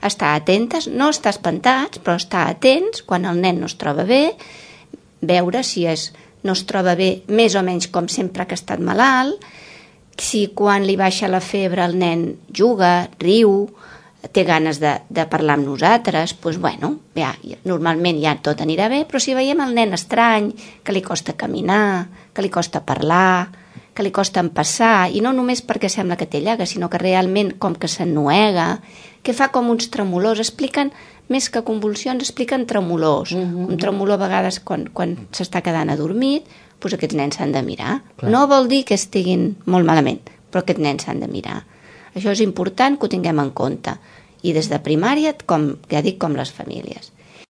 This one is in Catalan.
estar atentes, no estar espantats, però estar atents quan el nen no es troba bé, veure si no es troba bé més o menys com sempre que ha estat malalt, si quan li baixa la febre el nen juga, riu, té ganes de parlar amb nosaltres, doncs bueno, ja, normalment ja tot anirà bé, però si veiem el nen estrany, que li costa caminar, que li costa parlar, que li costa empassar, i no només perquè sembla que té llaga, sinó que realment com que s'ennuega, que fa com uns tremolors, expliquen, més que convulsions, expliquen tremolors. Un tremolor a vegades quan s'està quedant adormit, doncs aquests nens s'han de mirar. Clar. No vol dir que estiguin molt malament, però aquests nens s'han de mirar. Això és important que ho tinguem en compte. I des de primària, com ja dic, com les famílies.